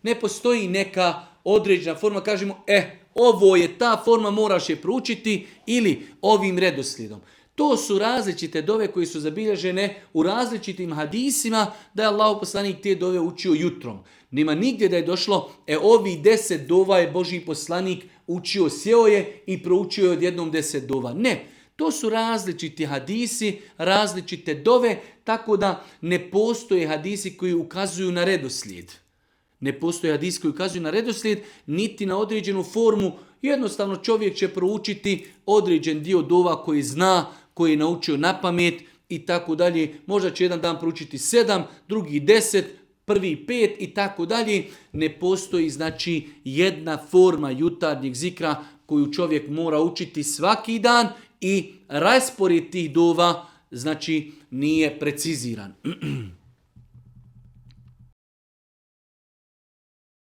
Ne postoji neka određena forma, kažemo, ovo je ta forma, moraš je proučiti ili ovim redoslijedom. To su različite dove koje su zabilježene u različitim hadisima da je Allahov poslanik te dove učio jutrom. Nema nigdje da je došlo, ovi 10 dova je Božji poslanik učio, sjeo je i proučio je odjednom 10 dova. Ne, to su različiti hadisi, različite dove, tako da ne postoje hadisi koji ukazuju na redoslijed. Ne postoje hadisi koji ukazuju na redoslijed, niti na određenu formu. Jednostavno čovjek će proučiti određen dio dova koji zna, koji je naučio na pamet i tako dalje. Možda će jedan dan proučiti 7, drugi 10, prvi 5 i tako dalje. Ne postoji znači jedna forma jutarnjeg zikra koju čovjek mora učiti svaki dan i raspored tih dova znači nije preciziran.